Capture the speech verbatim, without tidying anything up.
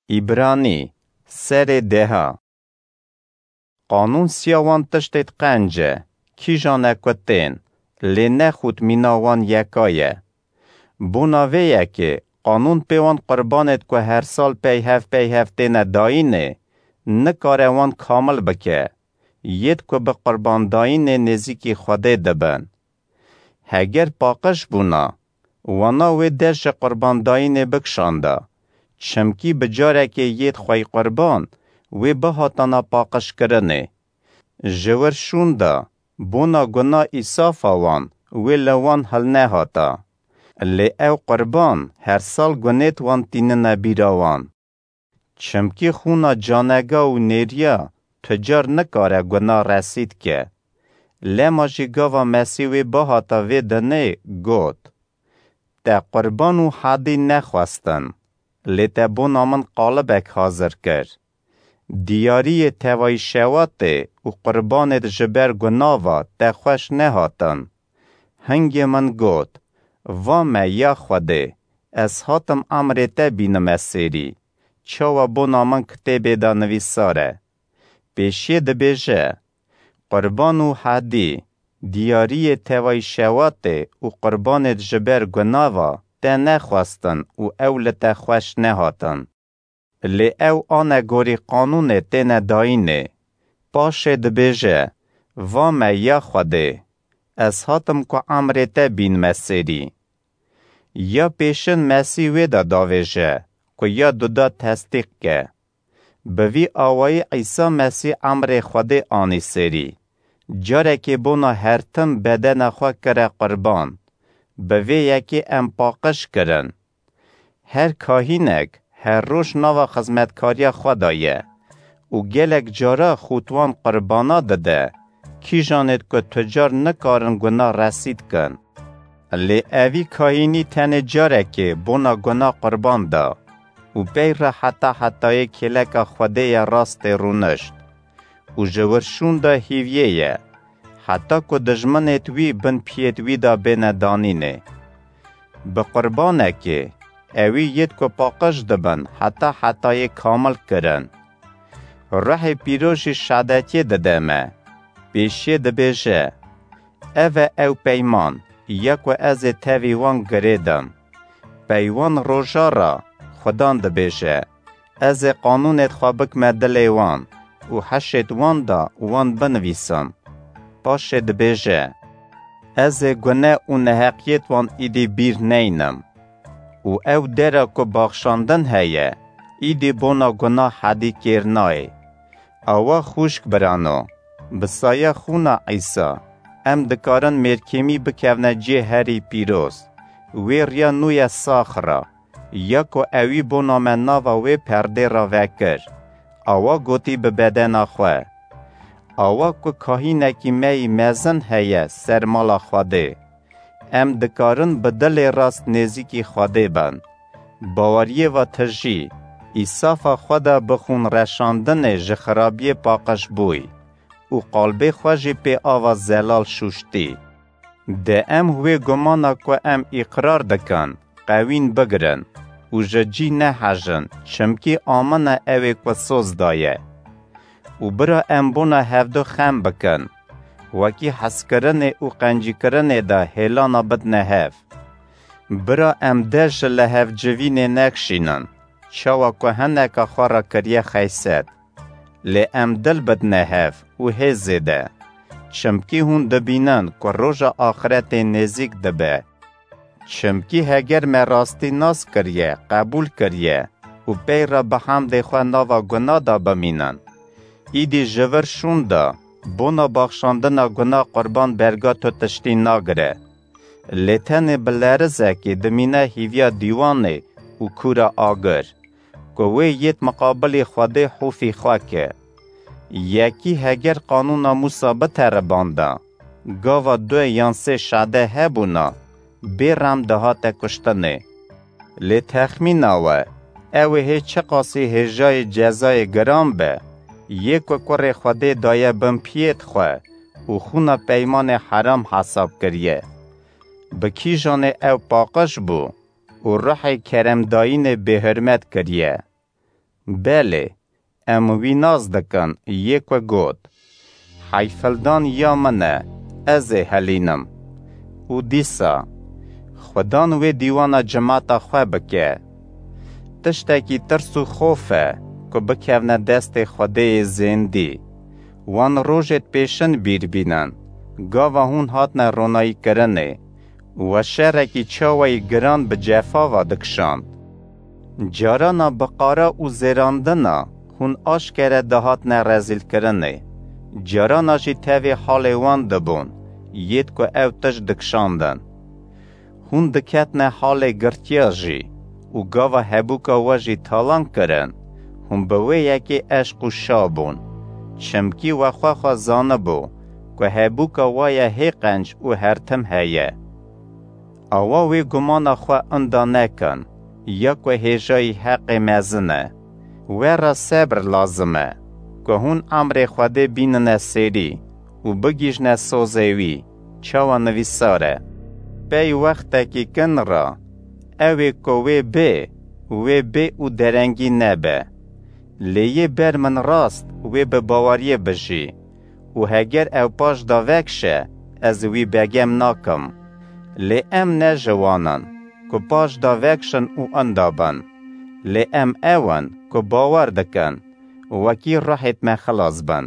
Îbranî, serê deha. Qanûn siya wan tiştêt qenc e, kîjan e ku tên, lê ne xût mîna wan yeka ye. Bona vê yekê, qanûn pê wan qurbanêt ku her sal peyhev peyhev têne dayînê, nikare wan kamil bike, yêt ku bi qurbandayînê nêzîkî Xwedê dibin. Heger paqij bûna, wana wê der ji qurbandayînê bikişanda, çimkî bi carekê yêt xwey qurban wê bihatana paqijkirinê. Ji wir şûn de, bona guna îsafa wan wê li wan hilnehata. Lê ew qurban her sal gunêt wan tînine bîra wan. Çimkî xûna canega û nêriya tu car nikare guna resîd ke. Lema jî gava Mesîh wê bihata vê dinê got, Te qurban û hedî nexwestin, lê te bona min qalibek hazir kir. Diyariyê tevayî şewatê û qurbanêt ji ber guna ve te xweş nehatin. Hingê min got, Va me ya Xwedê, ez hatim emrê te bînime sêrî, çawa bona min kitêbê de nivîsar e. Pêşiyê dibêje, Qurban û hedî, diyariyê tevayî şewatê û qurbanêt ji ber guna ve te nexwestin û ew li te xweş nehatin. Lê ew ane gorî qanûnê têne dayînê. Paşê dibêje, Va me ya Xwedê, ez hatim ku emrê te bînme sêrî. Ya pêşin Mesîh wê de davêje, ku ya duda tesdîq ke. Bi vî awayî Îsa Mesîh emrê Xwedê anî sêrî. Carekê bona her tim bedena xwe kire qurban. Bi vê yekê em paqij kirin. Her kahînek her roj nava xizmetkariya xwe de ye û gelek cara xût wan qurbana dide, kîjanêt ku tu car nikarin guna resîd kin. Lê evî kahînî tenê carekê bona guna qurban da û pey re heta hetayê kêleka Xwedê ye rastê rûnişt û ji wir şûn de hîviyê ye, heta ku dijminêt wî bin piyêt wî de bêne danînê. Bi qurbanekê, ewî yêt ku paqij dibin heta hetayê kamil kirin. Ruhê Pîroz jî şadetiyê dide me. Pêşiyê dibêje, Ev e ew peyman, ya ku ez ê tevî wan girêdim. Pey wan roja re, Xudan dibêje, Ez ê qanûnêt xwe bikme dilê wan û heşêt wan de wan binivîsim. Paşê dibêje, Ez ê gune û neheqiyêt wan îdî bîr neynim. Û ew dera ku baxşandin heye, îdî bona guna hedî kêr nayê. Awa xwişk birano, bi saya xûna Îsa, em dikarin mêrkêmî bikevne cihê herî pîroz, wê riya nû ye sax re, ya ku ewî bona me nava wê perdê re vekir, awa gotî bi bedena xwe. Awa ku kahînekî me yî mezin heye ser mala Xwedê, em dikarin bi dilê rast nêzîkî Xwedê bin. Baweriyê ve tijî, îsafa xwe de bi xûn reşandinê ji xirabiyê paqij bûy û qalbê xwe jî pê ava zelal şûştî. De em wê gumana ku em îqrar dikin, qewîn bigirin û ji cî nehejin, çimkî amine ewê ku soz daye. Û bira em bona hevdu xem bikin, wekî hezkirinê û qencîkirinê de hêlana bidne hev. Bira em dest ji lihevcivînê nekişînin, çawa ku hineka xwe re kiriye xeyset. Lê em dil bidne hev û hê zêde, çimkî hûn dibînin ku roja axiretê nêzîk dibe. Çimkî heger me rastî nas kiriye, qebûl kiriye û pey re bi hemdê xwe nava guna de bimînin, îdî ji vir şûn de bona baxşandina guna qurban berga tu tiştî nagire. Lê tenê bi lerizekê dimîne hîviya dîwanê û kûra agir, ku wê yêt miqabilî Xwedê hûfî xwe ke. Yekî heger qanûna Mûsa biteribanda, gava du yan sê şade hebûna, bê rem dihate kuştinê. Lê texmîna we, ew ê hê çiqasî hêjayê cezayê giran be, yê ku kurê Xwedê daye bin piyêt xwe û xûna peymanê heram hesab kiriye. Bi kîjanê ew paqij bû û ruhê keremdayînê bêhurmet kiriye. Belê, em wî nas dikin, yê ku got, "Heyfildan ya min e, ez ê helînim." Û dîsa, Xudan wê dîwana cimata xwe bike. Tiştekî tirs û xof e ku bikevne destê Xwedêyê zêndî. Wan rojêt pêşin bîr bînin, gava hûn hatne ronayîkirinê, we şerekî çawayî giran bi cefa ve dikişand. Carana bi qara û zêrandina hûn aşkere dihatne rezîlkirinê. Carana jî tevê halê wan dibûn, yêt ku ew tişt dikişandin. Hûn diketne halê girtiya jî û gava hebûka we jî talan kirin, hûn bi wê yekê eşq û şa bûn. Çimkî we xwe xwe zanibû ku hebûka we ye hê qenc û her tim heye. Awa wê gumana xwe inda nekin, ya ku hêjayî heqê mezin e. We re sebr lazim e, ku hûn emrê Xwedê bînine sêrî û bigihîjne sozê wî, çawa nivîsar e. Pey wextekî kin re, ew ê ku wê bê, wê bê û derengî nebe. Lê yê ber min rast, wê bi baweriyê bijî. Û heger ew paş da vekişe, ez wî begem nakim. Lê em ne ji wan in, ku paş da vekişin û inda bin. Lê em ew in, ku bawer dikin, wekî ruhêt me xilas bin.